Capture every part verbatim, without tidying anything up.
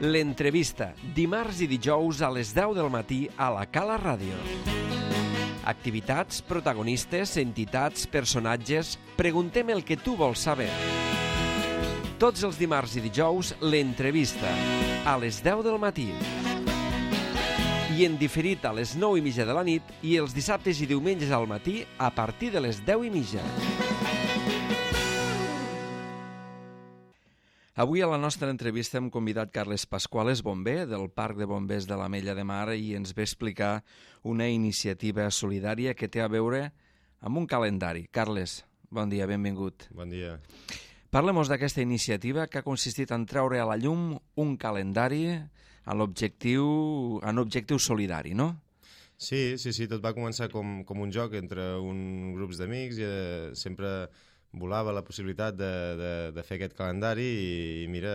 L'entrevista, dimarts i dijous a les deu del matí a la Cala Ràdio. Activitats, protagonistes, entitats, personatges... Preguntem el que tu vols saber. Tots els dimarts i dijous, l'entrevista, a les deu del matí. I en diferit a les nou i mitja de la nit i els dissabtes i diumenges al matí a partir de les deu i mitja. Avui a la nostra entrevista hem convidat Carles Pascuales, bomber del Parc de Bombers de l'Ametlla de Mar, i ens ve explicar una iniciativa solidària que té a veure amb un calendari. Carles, bon dia, benvingut. Bon dia. Parlem-nos d'aquesta iniciativa que ha consistit en treure a la llum un calendari en l'objectiu en objectiu solidari, no? Sí, sí, sí, tot va començar com, com un joc entre un grups d'amics i eh, sempre volava la possibilitat de, de, de fer aquest calendari i, i mira,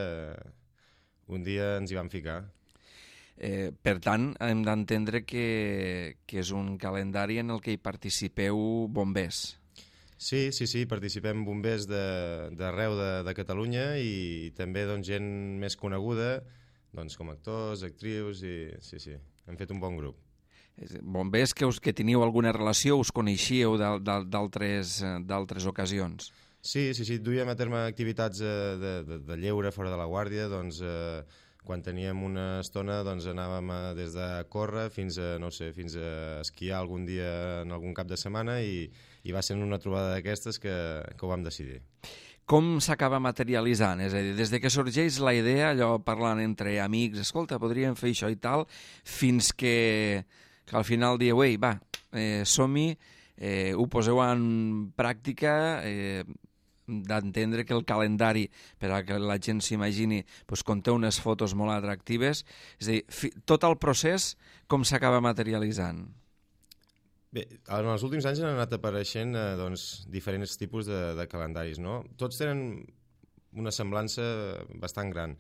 un dia ens hi vam ficar. Eh, per tant, hem d'entendre que, que és un calendari en el que hi participeu bombers. Sí, sí, sí, participem bombers d'arreu de, de, de Catalunya i també doncs, gent més coneguda, doncs, com actors, actrius, i sí, sí, hem fet un bon grup. Bombers que, us, que teniu alguna relació, us coneixíeu d'altres ocasions? Sí, sí, sí, duíem a terme activitats de, de, de lleure fora de la guàrdia, doncs eh, quan teníem una estona doncs anàvem a, des de córrer fins a, no sé, fins a esquiar algun dia en algun cap de setmana i, i va ser una trobada d'aquestes que, que ho vam decidir. Com s'acaba materialitzant? És a dir, des de que sorgeix la idea, allò parlant entre amics, escolta, podríem fer això i tal, fins que... que al final dieu, ei, va, eh, som-hi, eh, ho poseu en pràctica, eh, d'entendre que el calendari, per a que la gent s'imagini, doncs, conté unes fotos molt atractives, és a dir, fi, tot el procés, com s'acaba materialitzant? Bé, en els últims anys han anat apareixent eh, doncs, diferents tipus de, de calendaris, no? Tots tenen una semblança bastant gran.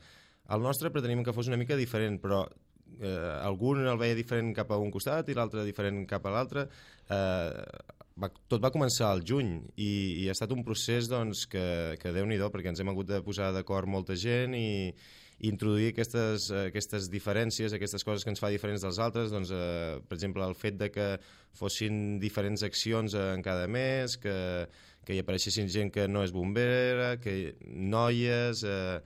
El nostre preteníem que fos una mica diferent, però Eh, algun el veia diferent cap a un costat i l'altre diferent cap a l'altre. Eh, va, tot va començar al juny i, i ha estat un procés doncs, que, que Déu-n'hi-do, perquè ens hem hagut de posar d'acord molta gent i, i introduir aquestes, aquestes diferències, aquestes coses que ens fa diferents dels altres, doncs, eh, per exemple, el fet de que fossin diferents accions en cada mes, que, que hi apareixessin gent que no és bombera, que noies, eh,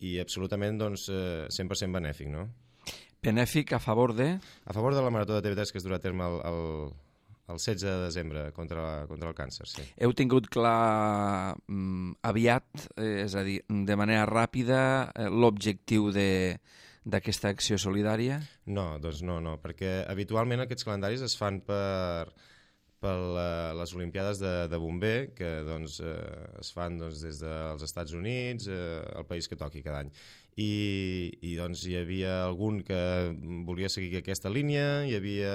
i absolutament doncs, eh, cent per cent benèfic, no? Benèfic a favor de? A favor de la Marató de T V tres que es durà a terme el, el, el setze de desembre contra, contra el càncer, sí. Heu tingut clar mm, aviat, eh, és a dir, de manera ràpida, eh, l'objectiu d'aquesta acció solidària? No, doncs no, no, perquè habitualment aquests calendaris es fan per, per les Olimpiades de, de bomber, que doncs, eh, es fan doncs, des dels Estats Units, eh, el país que toqui cada any. I, i doncs hi havia algun que volia seguir aquesta línia, hi havia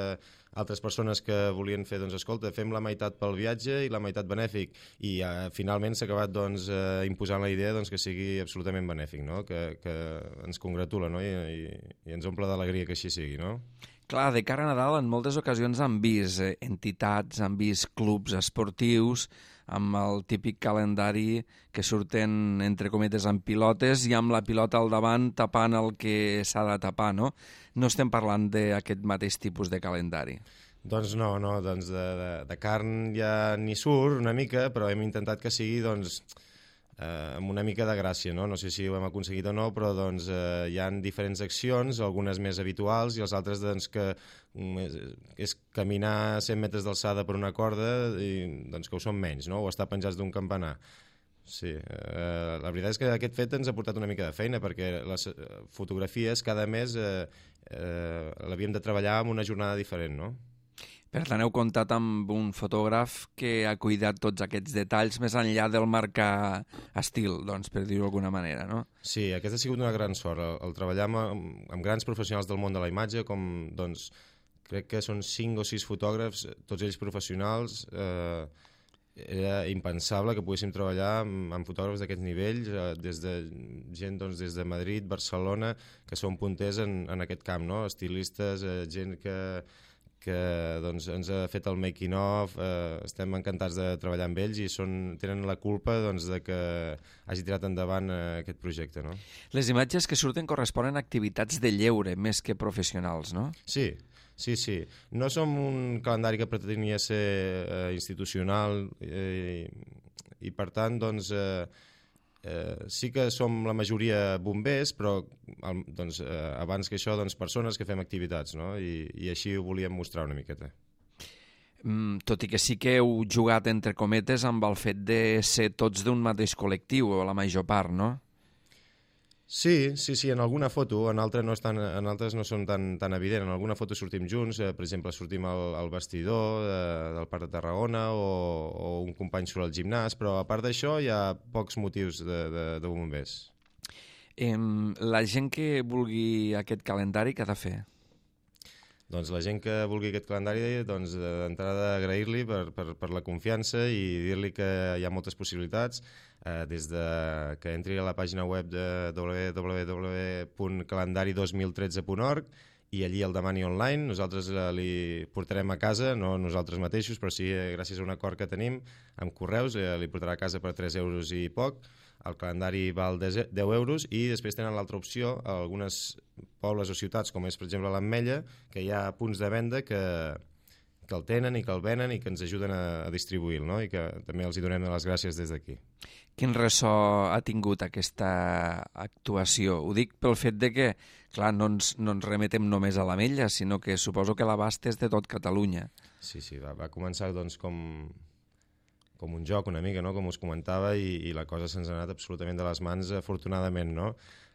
altres persones que volien fer, doncs escolta, fem la meitat pel viatge i la meitat benèfic, i eh, finalment s'ha acabat doncs, eh, imposant la idea doncs, que sigui absolutament benèfic, no? que, que ens congratula, no? I, i, i ens omple d'alegria que així sigui, no? Clar, de cara a Nadal en moltes ocasions han vist eh, entitats, han vist clubs esportius amb el típic calendari que surten, entre cometes, amb pilotes i amb la pilota al davant tapant el que s'ha de tapar, no? No estem parlant d'aquest mateix tipus de calendari. Doncs no, no, doncs de, de, de carn ja n'hi surt una mica, però hem intentat que sigui doncs, eh, amb una mica de gràcia, no? No sé si ho hem aconseguit o no, però doncs, eh, hi ha diferents accions, algunes més habituals i els altres doncs, que és, és caminar cent metres d'alçada per una corda i doncs, que ho són menys, no? O estar penjats d'un campanar. Sí, eh, la veritat és que aquest fet ens ha portat una mica de feina perquè les fotografies cada mes eh, eh, l'havíem de treballar amb una jornada diferent, no? Per tant, heu comptat amb un fotògraf que ha cuidat tots aquests detalls més enllà del marcar estil, doncs, per dir-ho d'alguna manera, no? Sí, aquesta ha sigut una gran sort, el, el treballar amb, amb grans professionals del món de la imatge, com, doncs, crec que són cinc o sis fotògrafs, tots ells professionals. Eh, era impensable que poguéssim treballar amb, amb fotògrafs d'aquest nivell, eh, des de gent doncs, des de Madrid, Barcelona, que són punters en, en aquest camp, no? Estilistes, eh, gent que que doncs, ens ha fet el making of, eh, estem encantats de treballar amb ells i són, tenen la culpa doncs, de que hagi tirat endavant eh, aquest projecte. No? Les imatges que surten corresponen a activitats de lleure més que professionals, no? Sí, sí, sí. No som un calendari que pretenia ser eh, institucional eh, i per tant doncs, eh, Eh, sí que som la majoria bombers, però el, doncs, eh, abans que això, doncs, persones que fem activitats, no? I, i així ho volíem mostrar una miqueta. Mm, tot i que sí que heu jugat, entre cometes, amb el fet de ser tots d'un mateix col·lectiu, o la major part, no? Sí, sí, sí, en alguna foto, en altres no, estan, en altres no són tan, tan evident. En alguna foto sortim junts, eh, per exemple, sortim al, al vestidor eh, del Parc de Tarragona o, o un company surt al gimnàs, però a part d'això hi ha pocs motius de, de, de bombers. Eh, la gent que vulgui aquest calendari, què ha de fer? Doncs la gent que vulgui aquest calendari, doncs d'entrada agrair-li per, per, per la confiança i dir-li que hi ha moltes possibilitats, eh, des de que entri a la pàgina web de w w w punt calendari dos mil tretze punt org i allí el demani online. Nosaltres eh, li portarem a casa, no nosaltres mateixos, però sí, eh, gràcies a un acord que tenim amb correus, eh, li portarà a casa per tres euros i poc. El calendari val deu euros i després tenen l'altra opció a algunes pobles o ciutats, com és per exemple l'Ametlla, que hi ha punts de venda que, que el tenen i que el venen i que ens ajuden a, a distribuir-lo, no? I que també els hi donem les gràcies des d'aquí. Quin ressò ha tingut aquesta actuació? Ho dic pel fet de que, clar, no ens, no ens remetem només a l'Ametlla, sinó que suposo que l'abast és de tot Catalunya. Sí, sí, va, va començar doncs com... com un joc una mica, no? Com us comentava, i, i la cosa se'ns ha anat absolutament de les mans, afortunadament, no?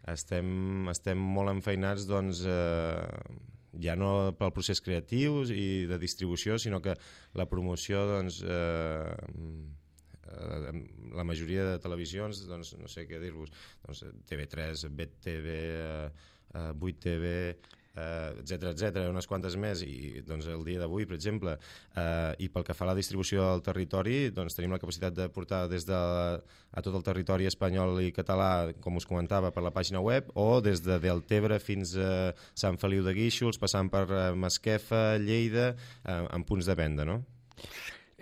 Estem, estem molt enfeinats, doncs, eh, ja no pel procés creatiu i de distribució, sinó que la promoció, doncs, eh, eh, la majoria de televisions, doncs, no sé què dir-vos, doncs, T V tres, B T V, eh, vuit T V... Uh, etcètera, etcètera, unes quantes més i doncs el dia d'avui, per exemple uh, i pel que fa a la distribució del territori doncs tenim la capacitat de portar des de a tot el territori espanyol i català, com us comentava, per la pàgina web o des de Deltebre fins a Sant Feliu de Guíxols, passant per uh, Masquefa, Lleida, uh, en punts de venda, no?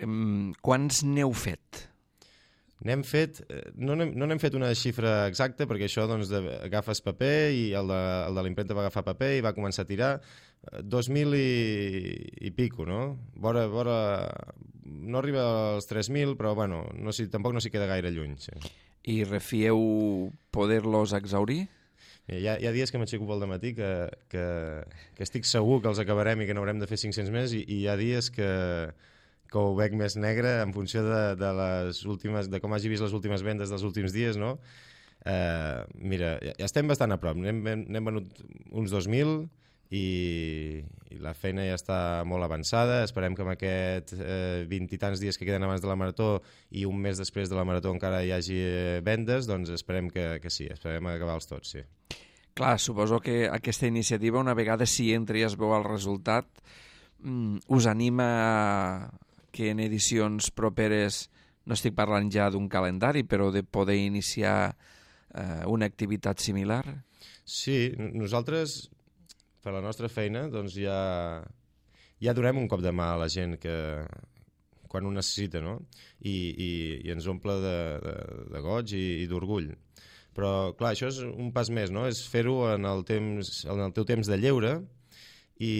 Um, quants n'heu fet? N'hem fet, no n'hem no n'hem fet una xifra exacta perquè això doncs, de, agafes paper i el de, el de l'impremta va agafar paper i va començar a tirar dos mil i, i pico, no? Vora, vora, no arriba als tres mil, però bueno, no si, tampoc no s'hi queda gaire lluny. Sí. I refieu poder-los exaurir? Hi ha, hi ha dies que m'aixeco pel dematí que, que, que estic segur que els acabarem i que n'haurem de fer cinc-cents més i, i hi ha dies que... que ho veig més negre en funció de, de, les últimes, de com hagi vist les últimes vendes dels últims dies, no? Eh, mira, ja, ja estem bastant a prop. N'hem venut uns dos mil i, i la feina ja està molt avançada. Esperem que amb aquest eh, vint i tants dies que queden abans de la marató i un mes després de la marató encara hi hagi vendes, doncs esperem que, que sí, esperem acabar-los tots, sí. Clar, suposo que aquesta iniciativa, una vegada si entra i es veu el resultat, us anima a que en edicions properes, no estic parlant ja d'un calendari, però de poder iniciar eh, una activitat similar? Sí, nosaltres, per la nostra feina, doncs ja, ja donem un cop de mà a la gent que quan ho necessita, no? I, i, i ens omple de, de, de goig i, i d'orgull. Però, clar, això és un pas més, no? És fer-ho en el temps, en el teu temps de lleure i...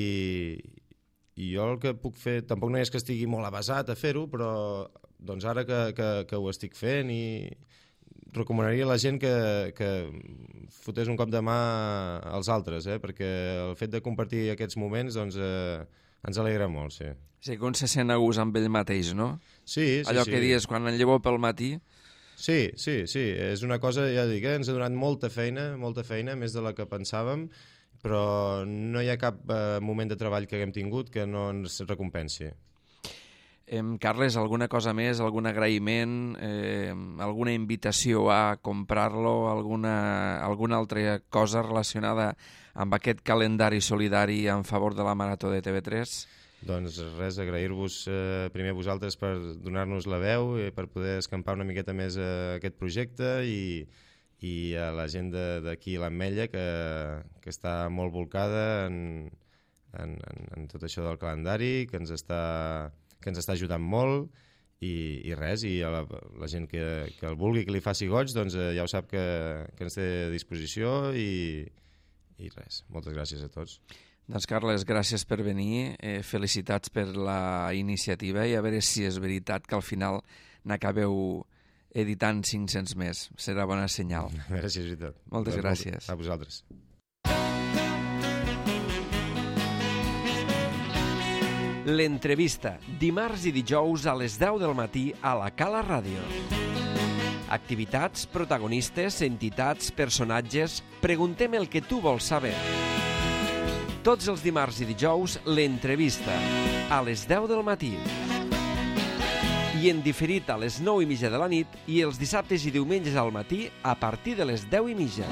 I jo el que puc fer, tampoc no és que estigui molt avasat a fer-ho, però doncs ara que, que, que ho estic fent i recomanaria a la gent que, que fotés un cop de mà als altres, eh? Perquè el fet de compartir aquests moments doncs, eh, ens alegra molt, sí. Sí, que un se sent a gust amb ell mateix, no? Sí, sí, Allò sí. que dius, quan en llevo pel matí... Sí, sí, sí, és una cosa, ja dic, eh? Ens ha donat molta feina, molta feina, més de la que pensàvem, però no hi ha cap eh, moment de treball que haguem tingut que no ens recompensi. Eh, Carles, alguna cosa més, algun agraïment, eh, alguna invitació a comprar-lo, alguna, alguna altra cosa relacionada amb aquest calendari solidari en favor de la Marató de T V tres? Doncs res, agrair-vos eh, primer a vosaltres per donar-nos la veu, eh, per poder escampar una miqueta més eh, aquest projecte i i a la gent d'aquí a l'Ametlla que, que està molt volcada en, en, en, en tot això del calendari, que ens està, que ens està ajudant molt, i, i res, i a la, la gent que, que el vulgui, que li faci goig, doncs eh, ja ho sap que, que ens té a disposició, i, i res, moltes gràcies a tots. Doncs Carles, gràcies per venir, eh, felicitats per la iniciativa, i a veure si és veritat que al final n'acabeu editant cinc-cents més. Serà bona senyal. A veure si és veritat. Moltes doncs, gràcies. A vosaltres. L'entrevista, dimarts i dijous a les deu del matí a la Cala Ràdio. Activitats, protagonistes, entitats, personatges... Preguntem el que tu vols saber. Tots els dimarts i dijous, l'entrevista, a les deu del matí. I en diferit a les nou i mitja de la nit, i els dissabtes i diumenges al matí a partir de les deu i mitja.